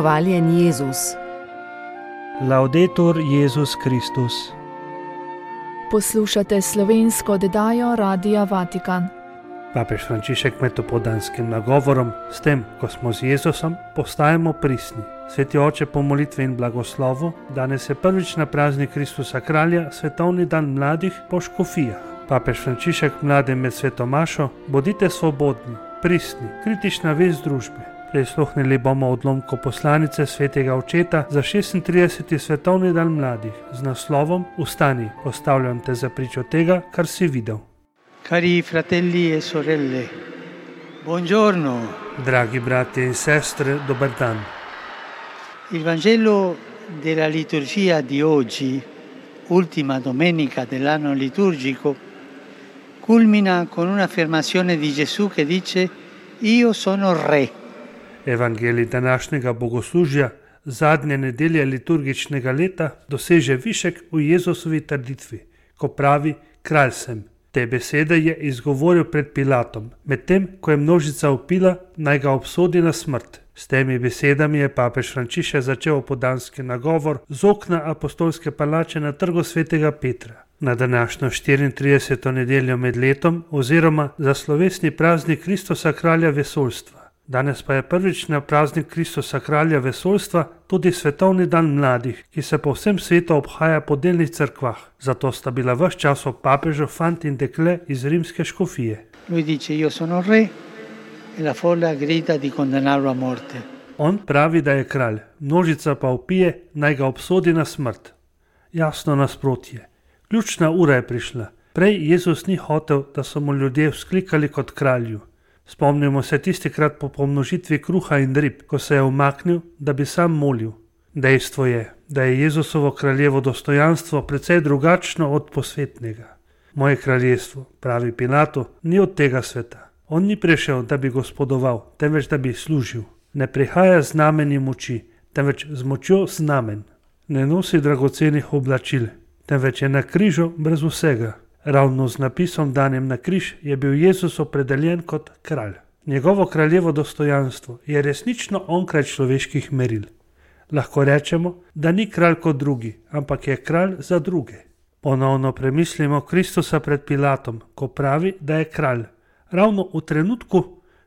Hvaljen Jezus. Laudetur Jezus Kristus. Poslušate slovensko oddajo Radia Vatikan. Papež Frančišek med opoldanskim nagovorom, s tem, ko smo z Jezusom, postajamo pristni. Sveti oče po molitvi in blagoslovu, danes je prvič na praznik Kristusa Kralja, svetovni dan mladih po škofijah. Papež Frančišek mladim med sveto mašo: bodite svobodni, pristni, kritična vez družbe. Prisluhnili bomo odlomku poslanice svetega očeta za 36. svetovni dan mladih z naslovom Vstani, postavljam te za pričo tega, kar si videl. Cari fratelli e sorelle, buongiorno. Dragi bratje in sestre, dober dan. Il Vangelo della liturgia di oggi, ultima domenica dell'anno liturgico, culmina con un'affermazione di Gesù che dice: Io sono re. Evangelij današnjega bogoslužja, zadnje nedelje liturgičnega leta, doseže višek v Jezusovi trditvi, ko pravi: kralj sem. Te besede je izgovoril pred Pilatom, medtem ko je množica vpila, naj ga obsodi na smrt. S temi besedami je papež Frančišek začel opoldanski nagovor z okna apostolske palače na trgu svetega Petra. Na današnjo 34. nedeljo med letom oziroma za slovesni praznik Kristusa Kralja vesoljstva. Danes pa je prvič na praznik Kristusa Kralja vesoljstva tudi svetovni dan mladih, ki se po vsem svetu obhaja po delnih cerkvah. Zato sta bila ves čas ob papežu fant in dekle iz rimske škofije. Lui dice: Io sono re e la folla grida di condannarlo a morte. On pravi, da je kralj, množica pa vpije, naj ga obsodi na smrt. Jasno nasprotje. Ključna ura je prišla. Prej Jezus ni hotel, da so mu ljudje vzklikali kot kralju. Spomnimo se tistikrat po pomnožitvi kruha in rib, ko se je umaknil, da bi sam molil. Dejstvo je, da je Jezusovo kraljevo dostojanstvo precej drugačno od posvetnega. Moje kraljestvo, pravi Pilatu, ni od tega sveta. On ni prišel, da bi gospodoval, temveč da bi služil. Ne prihaja z znamenji moči, temveč z močjo znamen. Ne nosi dragocenih oblačil, temveč je na križu brez vsega. Ravno z napisom danem na križ je bil Jezus opredeljen kot kralj. Njegovo kraljevo dostojanstvo je resnično onkraj človeških meril. Lahko rečemo, da ni kralj kot drugi, ampak je kralj za druge. Ponovno premislimo Kristusa pred Pilatom, ko pravi, da je kralj. Ravno v trenutku,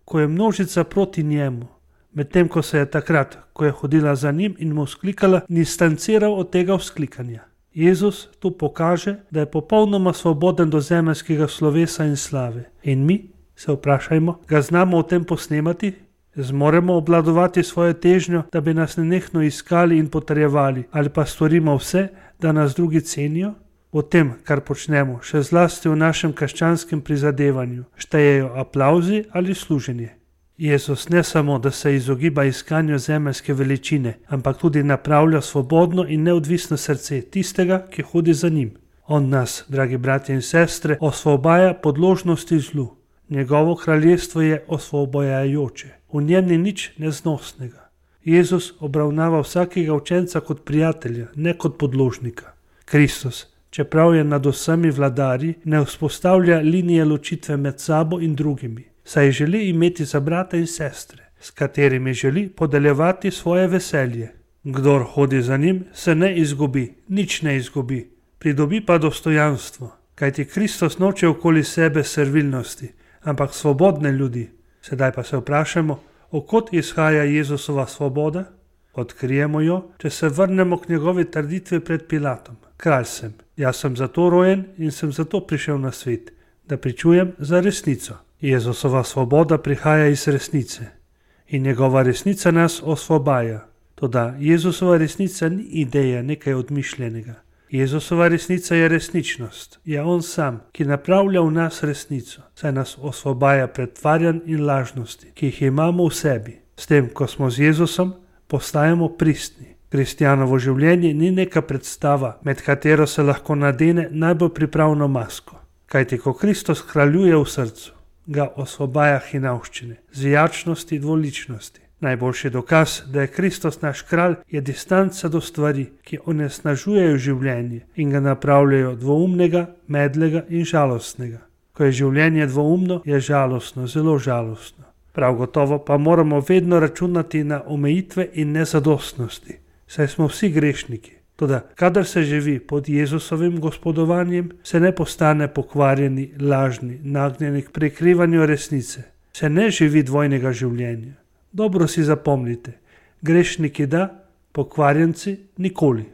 ko je množica proti njemu, medtem ko se je takrat, ko je hodila za njim in mu vzklikala, distanciral od tega vzklikanja. Jezus tu pokaže, da je popolnoma svoboden do zemeljskega slovesa in slave. In mi, se vprašajmo, ga znamo o tem posnemati? Zmoremo obvladovati svojo težnjo, da bi nas nenehno iskali in potrjevali, ali pa storimo vse, da nas drugi cenijo? O tem, kar počnemo, še zlasti v našem krščanskem prizadevanju, štejejo aplavzi ali služenje. Jezus ne samo, da se izogiba iskanju zemeljske veličine, ampak tudi napravlja svobodno in neodvisno srce tistega, ki hodi za njim. On nas, dragi bratje in sestre, osvobaja podložnosti zlu. Njegovo kraljestvo je osvobojajoče. V njem ni nič neznosnega. Jezus obravnava vsakega učenca kot prijatelja, ne kot podložnika. Kristus, čeprav je nad vsemi vladarji, ne vzpostavlja linije ločitve med sabo in drugimi, saj želi imeti za brata in sestre, s katerimi želi podeljevati svoje veselje. Kdor hodi za njim, se ne izgubi, nič ne izgubi, pridobi pa dostojanstvo, kajti Kristus noče okoli sebe servilnosti, ampak svobodne ljudi. Sedaj pa se vprašamo, od kod izhaja Jezusova svoboda? Odkrijemo jo, če se vrnemo k njegovi trditvi pred Pilatom. Kralj sem, jaz sem zato rojen in sem zato prišel na svet, da pričujem za resnico. Jezusova svoboda prihaja iz resnice in njegova resnica nas osvobaja. Toda Jezusova resnica ni ideja nekaj odmišljenega. Jezusova resnica je resničnost, je on sam, ki napravlja v nas resnico, saj nas osvobaja pretvarjanj in lažnosti, ki jih imamo v sebi. S tem, ko smo z Jezusom, postajamo pristni. Kristjanovo življenje ni neka predstava, med katero se lahko nadene najbolj pripravno masko. Kajti ko Kristus kraljuje v srcu, ga osvobaja hinavščine, zvijačnosti, dvoličnosti. Najboljši dokaz, da je Kristus naš kralj, je distanca do stvari, ki onesnažujejo življenje in ga napravljajo dvoumnega, medlega in žalostnega. Ko je življenje dvoumno, je žalostno, zelo žalostno. Prav gotovo pa moramo vedno računati na omejitve in nezadostnosti, saj smo vsi grešniki. Toda, kadar se živi pod Jezusovim gospodovanjem, se ne postane pokvarjeni, lažni, nagnjeni k prikrivanju resnice. Se ne živi dvojnega življenja. Dobro si zapomnite, grešniki da, pokvarjenci nikoli.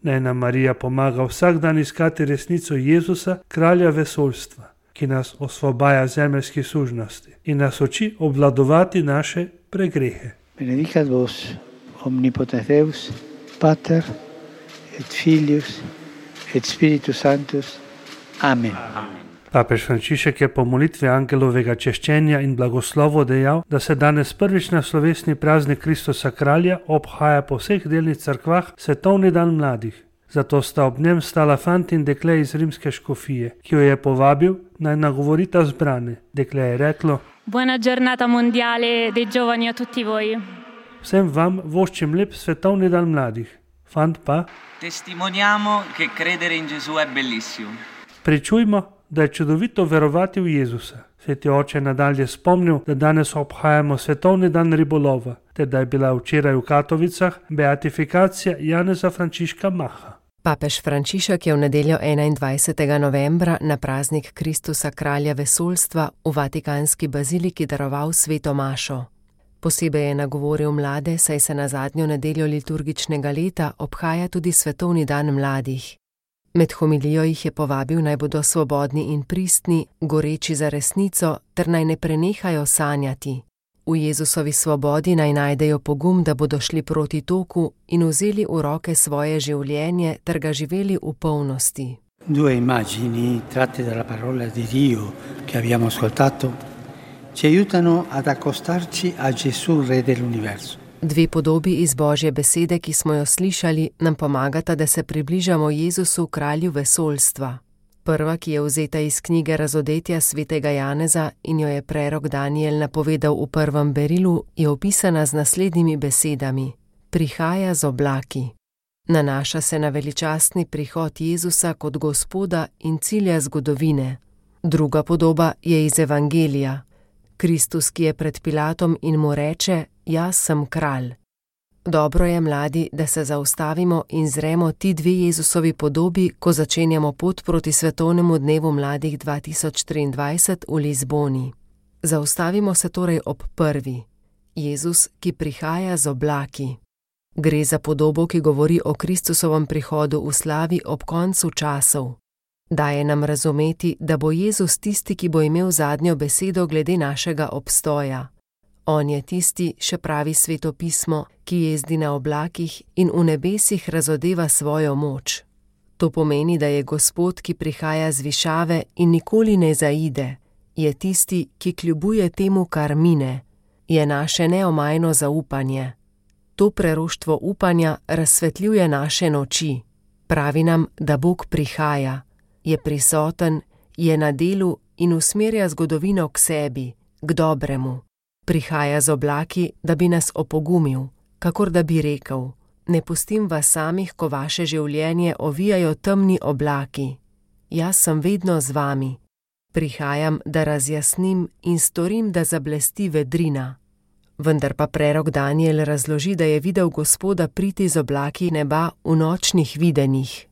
Naj nam Marija pomaga vsak dan iskati resnico Jezusa, kralja vesoljstva, ki nas osvobaja zemeljskih sužnosti in nas uči obvladovati naše pregrehe. Benedicat vos omnipotens Deus, Pater et Filius et Spiritus Sanctus. Amen. Papež Frančišek je po molitvi angelovega češčenja in blagoslovu dejal, da se danes prvič na slovesni praznik Kristusa kralja obhaja po vseh delnih cerkvah svetovni dan mladih. Zato sta ob njem stala fant in dekle iz rimske škofije, ki jo je povabil, naj nagovorita zbrane. Dekle je reklo: Buona giornata mondiale dei giovani a tutti voi. Vsem vam voščim lep svetovni dan mladih. Fant pa: Testimoniamo che credere in Gesù è bellissimo. Pričujmo, da je čudovito verovati v Jezusa. Sveti oče nadalje spomnil, da danes obhajamo svetovni dan ribolova, ter da je bila včeraj v Katovicah beatifikacija Janeza Frančiška Maha. Papež Frančišek je v nedeljo 21. novembra na praznik Kristusa kralja vesoljstva v Vatikanski baziliki daroval sveto mašo. Posebej je nagovoril mlade, saj se na zadnjo nedeljo liturgičnega leta obhaja tudi svetovni dan mladih. Med homilijo jih je povabil, naj bodo svobodni in pristni, goreči za resnico, ter naj ne prenehajo sanjati. V Jezusovi svobodi naj najdejo pogum, da bodo šli proti toku in vzeli v roke svoje življenje ter ga živeli v polnosti. Due immagini tratte dalla parola di Dio che abbiamo ascoltato ci aiutano ad accostarci a Gesù, Re dell'universo. Dve podobi iz Božje besede, ki smo jo slišali, nam pomagata, da se približamo Jezusu, kralju vesoljstva. Prva, ki je vzeta iz knjige Razodetja svetega Janeza in jo je prerok Daniel napovedal v prvem berilu, je opisana z naslednjimi besedami: Prihaja z oblaki. Nanaša se na veličastni prihod Jezusa kot Gospoda in cilja zgodovine. Druga podoba je iz Evangelija. Kristus, ki je pred Pilatom in mu reče: Jaz sem kralj. Dobro je, mladi, da se zaustavimo in zremo ti dve Jezusovi podobi, ko začenjamo pot proti svetovnemu dnevu mladih 2023 v Lizboni. Zaustavimo se torej ob prvi. Jezus, ki prihaja z oblaki. Gre za podobo, ki govori o Kristusovem prihodu v slavi ob koncu časov. Daje nam razumeti, da bo Jezus tisti, ki bo imel zadnjo besedo glede našega obstoja. On je tisti, še pravi Sveto pismo, ki jezdi na oblakih in v nebesih razodeva svojo moč. To pomeni, da je Gospod, ki prihaja z višave in nikoli ne zaide. Je tisti, ki kljubuje temu, kar mine. Je naše neomajno zaupanje. To preroštvo upanja razsvetljuje naše noči. Pravi nam, da Bog prihaja. Je prisoten, je na delu in usmerja zgodovino k sebi, k dobremu. Prihaja z oblaki, da bi nas opogumil, kakor da bi rekel: Ne pustim vas samih, ko vaše življenje ovijajo temni oblaki. Jaz sem vedno z vami. Prihajam, da razjasnim in storim, da zablesti vedrina. Vendar pa prerok Daniel razloži, da je videl Gospoda priti z oblaki neba v nočnih videnjih.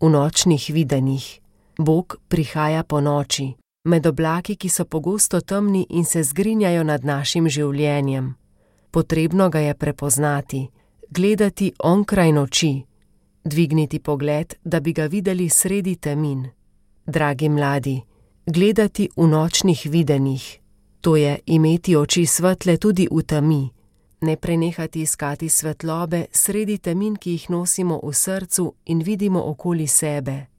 V nočnih videnjih. Bog prihaja po noči. Med oblaki, ki so pogosto temni in se zgrinjajo nad našim življenjem. Potrebno ga je prepoznati, gledati onkraj noči, dvigniti pogled, da bi ga videli sredi temin. Dragi mladi, gledati v nočnih videnjih, to je imeti oči svetle tudi v temi, ne prenehati iskati svetlobe sredi temin, ki jih nosimo v srcu in vidimo okoli sebe.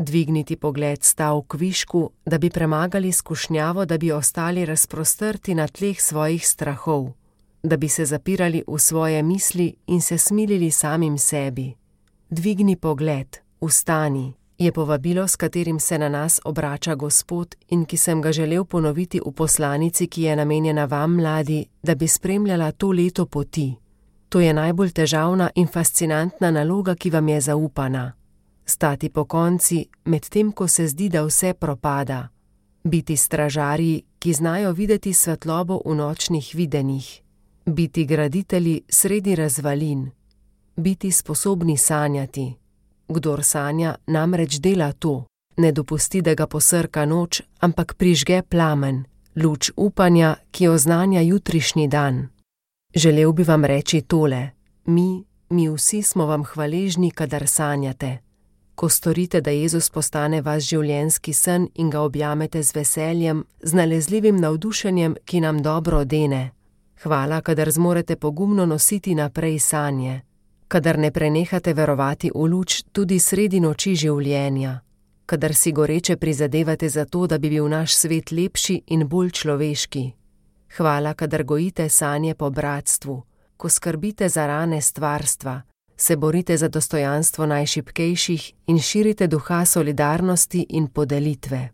Dvigniti pogled stav k višku, da bi premagali skušnjavo, da bi ostali razprostrti na tleh svojih strahov, da bi se zapirali v svoje misli in se smilili samim sebi. Dvigni pogled, vstani, je povabilo, s katerim se na nas obrača Gospod in ki sem ga želel ponoviti v poslanici, ki je namenjena vam, mladi, da bi spremljala to leto poti. To je najbolj težavna in fascinantna naloga, ki vam je zaupana. Stati po konci, medtem ko se zdi, da vse propada. biti stražarji, ki znajo videti svetlobo v nočnih videnjih, biti graditelji sredi razvalin, biti sposobni sanjati. Kdor sanja, namreč dela to, ne dopusti, da ga posrka noč, ampak prižge plamen, luč upanja, ki oznanja jutrišnji dan. Želel bi vam reči tole: mi vsi smo vam hvaležni, kadar sanjate. Ko storite, da Jezus postane vaš življenjski sen in ga objamete z veseljem, z nalezljivim navdušenjem, ki nam dobro dene. Hvala, kadar zmorete pogumno nositi naprej sanje, kadar ne prenehate verovati v luč tudi sredi noči življenja, kadar si goreče prizadevate za to, da bi bil naš svet lepši in bolj človeški. Hvala, kadar gojite sanje po bratstvu, ko skrbite za rane stvarstva, se borite za dostojanstvo najšibkejših in širite duha solidarnosti in podelitve.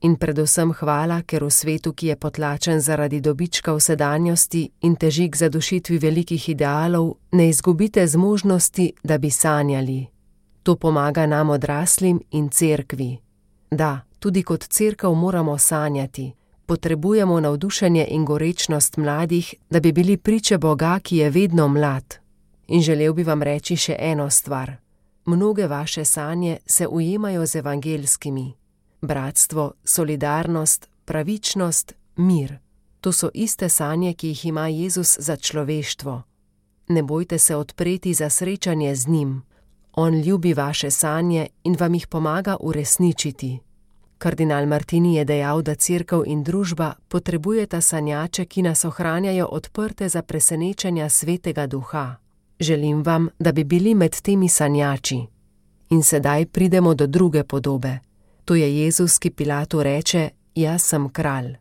In predvsem hvala, ker v svetu, ki je potlačen zaradi dobička v sedanjosti in teži k zadušitvi velikih idealov, ne izgubite zmožnosti, da bi sanjali. To pomaga nam odraslim in cerkvi. Da, tudi kot cerkev moramo sanjati. Potrebujemo navdušenje in gorečnost mladih, da bi bili priče Boga, ki je vedno mlad. In želel bi vam reči še eno stvar. Mnoge vaše sanje se ujemajo z evangelskimi. Bratstvo, solidarnost, pravičnost, mir. To so iste sanje, ki jih ima Jezus za človeštvo. Ne bojte se odpreti za srečanje z njim. On ljubi vaše sanje in vam jih pomaga uresničiti. Kardinal Martini je dejal, da cerkev in družba potrebujeta sanjače, ki nas ohranjajo odprte za presenečenja Svetega Duha. Želim vam, da bi bili med temi sanjači. In sedaj pridemo do druge podobe. To je Jezus, ki Pilatu reče: jaz sem kralj.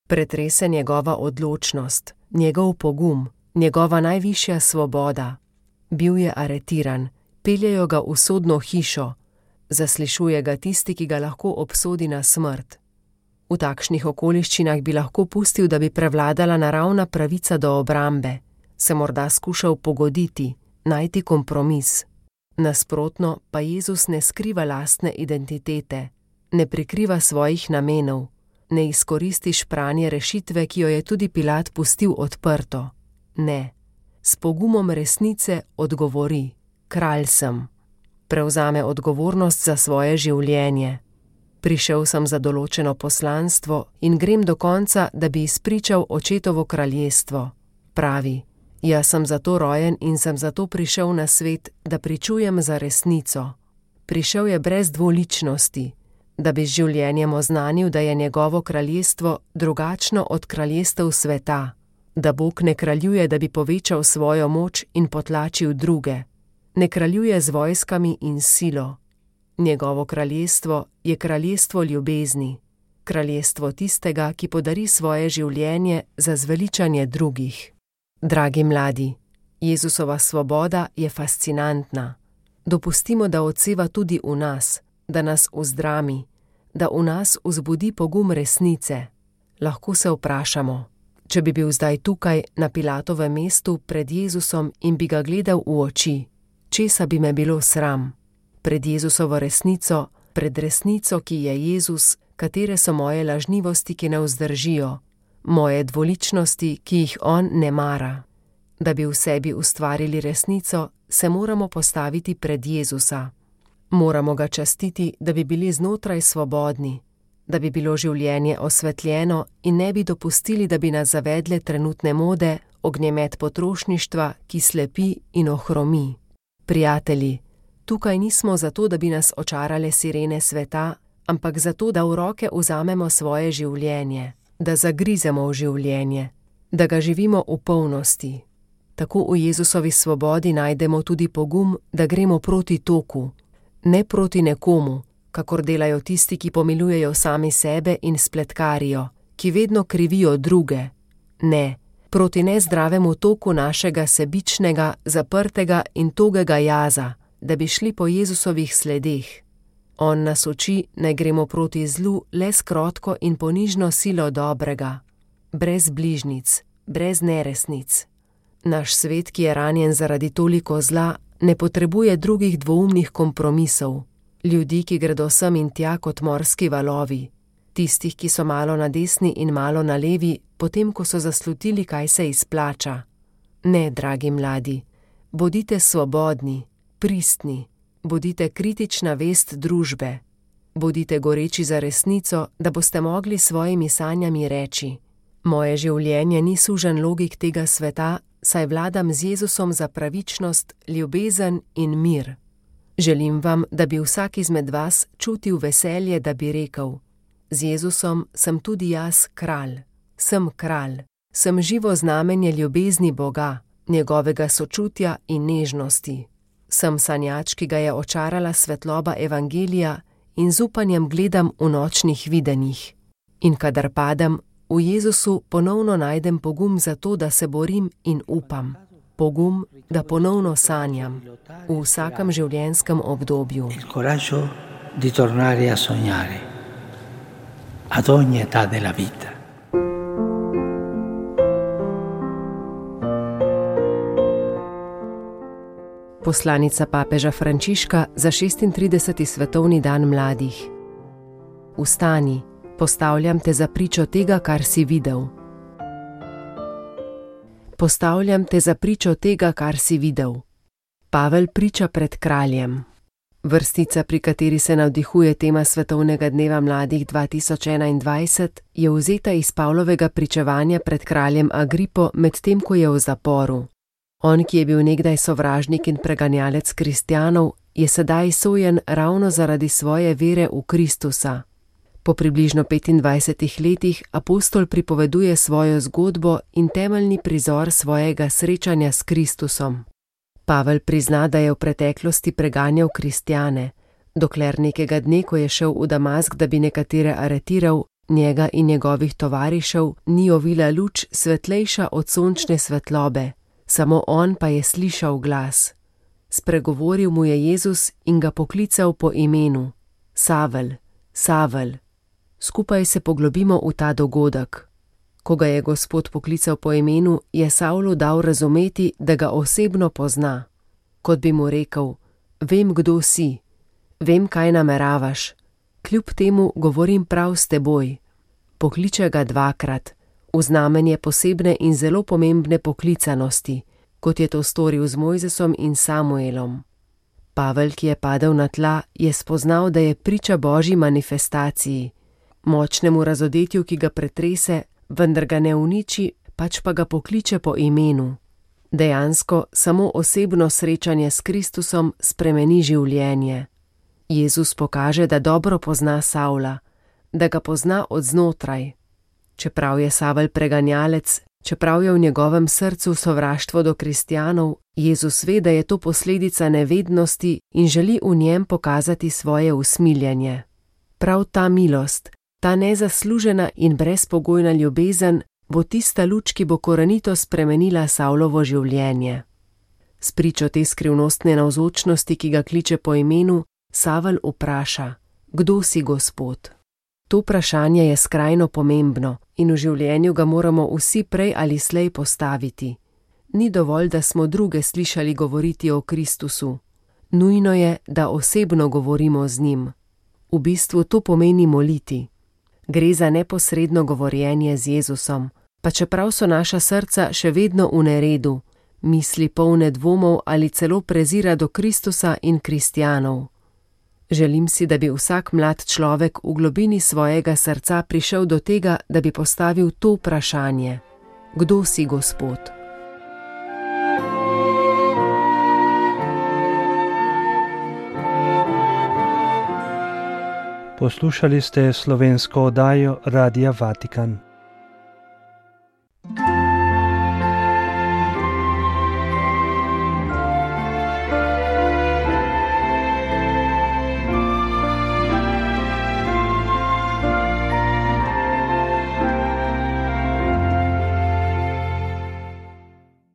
Pretrese njegova odločnost, njegov pogum, njegova najvišja svoboda. Bil je aretiran, peljejo ga v sodno hišo, zaslišuje ga tisti, ki ga lahko obsodi na smrt. V takšnih okoliščinah bi lahko pustil, da bi prevladala naravna pravica do obrambe, se morda skušal pogoditi, najti kompromis. Nasprotno pa Jezus ne skriva lastne identitete, ne prikriva svojih namenov, ne izkoristi špranje rešitve, ki jo je tudi Pilat pustil odprto. Ne, s pogumom resnice odgovori: kralj sem. Prevzame odgovornost za svoje življenje. Prišel sem za določeno poslanstvo in grem do konca, da bi izpričal očetovo kraljestvo. Pravi: jaz sem zato rojen in sem zato prišel na svet, da pričujem za resnico. Prišel je brez dvoličnosti, da bi z življenjem oznanil, da je njegovo kraljestvo drugačno od kraljestev sveta, da Bog ne kraljuje, da bi povečal svojo moč in potlačil druge. Ne kraljuje z vojskami in silo. Njegovo kraljestvo je kraljestvo ljubezni, kraljestvo tistega, ki podari svoje življenje za zveličanje drugih. Dragi mladi, Jezusova svoboda je fascinantna. Dopustimo, da odseva tudi v nas, da nas uzdrami, da v nas vzbudi pogum resnice. Lahko se vprašamo, če bi bil zdaj tukaj na Pilatovem mestu pred Jezusom in bi ga gledal v oči, česa bi me bilo sram? Pred Jezusovo resnico, pred resnico, ki je Jezus, katere so moje lažnivosti, ki ne vzdržijo, moje dvoličnosti, ki jih on ne mara. Da bi v sebi ustvarili resnico, se moramo postaviti pred Jezusa. Moramo ga častiti, da bi bili znotraj svobodni, da bi bilo življenje osvetljeno in ne bi dopustili, da bi nas zavedle trenutne mode, ognjemet potrošništva, ki slepi in ohromi. Prijatelji, tukaj nismo zato, da bi nas očarale sirene sveta, ampak zato, da v roke vzamemo svoje življenje, da zagrizemo v življenje, da ga živimo v polnosti. Tako v Jezusovi svobodi najdemo tudi pogum, da gremo proti toku, ne proti nekomu, kakor delajo tisti, ki pomilujejo sami sebe in spletkarijo, ki vedno krivijo druge. Ne, proti nezdravemu toku našega sebičnega, zaprtega in togega jaza, da bi šli po Jezusovih sledeh. On nas uči, naj gremo proti zlu le s krotko in ponižno silo dobrega, brez bližnic, brez neresnic. Naš svet, ki je ranjen zaradi toliko zla, ne potrebuje drugih dvoumnih kompromisov, ljudi, ki gredo sem in tja kot morski valovi, Tistih, ki so malo na desni in malo na levi, potem ko so zaslutili, kaj se izplača. Ne, dragi mladi, bodite svobodni, pristni, bodite kritična vest družbe. Bodite goreči za resnico, da boste mogli svojimi sanjami reči: moje življenje ni sužen logik tega sveta, saj vladam z Jezusom za pravičnost, ljubezen in mir. Želim vam, da bi vsak izmed vas čutil veselje, da bi rekel: z Jezusom sem tudi jaz kralj. Sem živo znamenje ljubezni Boga, njegovega sočutja in nežnosti. Sem sanjač, ki ga je očarala svetloba evangelija, in z upanjem gledam v nočnih videnjih. In kadar padem, v Jezusu ponovno najdem pogum za to, da se borim in upam. Pogum, da ponovno sanjam v vsakem življenjskem obdobju. Il coraggio di tornare a sognare ad ogni età della vita. Poslanica papeža Frančiška za 36. svetovni dan mladih. Vstani, postavljam te za pričo tega, kar si videl. Postavljam te za pričo tega, kar si videl. Pavel priča pred kraljem. Vrstica, pri kateri se navdihuje tema Svetovnega dneva mladih 2021, je vzeta iz Pavlovega pričevanja pred kraljem Agripo, medtem ko je v zaporu. On, ki je bil nekdaj sovražnik in preganjalec kristjanov, je sedaj sojen ravno zaradi svoje vere v Kristusa. Po približno 25 letih apostol pripoveduje svojo zgodbo in temeljni prizor svojega srečanja s Kristusom. Pavel prizna, da je v preteklosti preganjal kristjane, dokler nekega dne, ko je šel v Damask, da bi nekatere aretiral, njega in njegovih tovarišev ni ovila luč svetlejša od sončne svetlobe. Samo on pa je slišal glas. Spregovoril mu je Jezus in ga poklical po imenu: Savel, Savel. Skupaj se poglobimo v ta dogodek. Ko ga je Gospod poklical po imenu, je Savlu dal razumeti, da ga osebno pozna. Kot bi mu rekel: vem, kdo si, vem, kaj nameravaš, kljub temu govorim prav s teboj. Pokliče ga dvakrat, v znamenje posebne in zelo pomembne poklicanosti, kot je to storil z Mojzesom in Samuelom. Pavel, ki je padel na tla, je spoznal, da je priča Božji manifestaciji, močnemu razodetju, ki ga pretrese, vendar ga ne uniči, pač pa ga pokliče po imenu. Dejansko samo osebno srečanje s Kristusom spremeni življenje. Jezus pokaže, da dobro pozna Savla, da ga pozna od znotraj. Čeprav je Savel preganjalec, čeprav je v njegovem srcu sovraštvo do kristjanov, Jezus ve, da je to posledica nevednosti in želi v njem pokazati svoje usmiljenje. Prav ta milost, ta nezaslužena in brezpogojna ljubezen bo tista luč, ki bo korenito spremenila Savlovo življenje. S pričo te skrivnostne navzočnosti, ki ga kliče po imenu, Savel vpraša: kdo si, Gospod? To vprašanje je skrajno pomembno in v življenju ga moramo vsi prej ali slej postaviti. Ni dovolj, da smo druge slišali govoriti o Kristusu. Nujno je, da osebno govorimo z njim. V bistvu to pomeni moliti. Gre za neposredno govorjenje z Jezusom, pa čeprav so naša srca še vedno v neredu, misli polne dvomov ali celo prezira do Kristusa in kristjanov. Želim si, da bi vsak mlad človek v globini svojega srca prišel do tega, da bi postavil to vprašanje: kdo si, Gospod? Poslušali ste slovensko oddajo Radia Vatikan.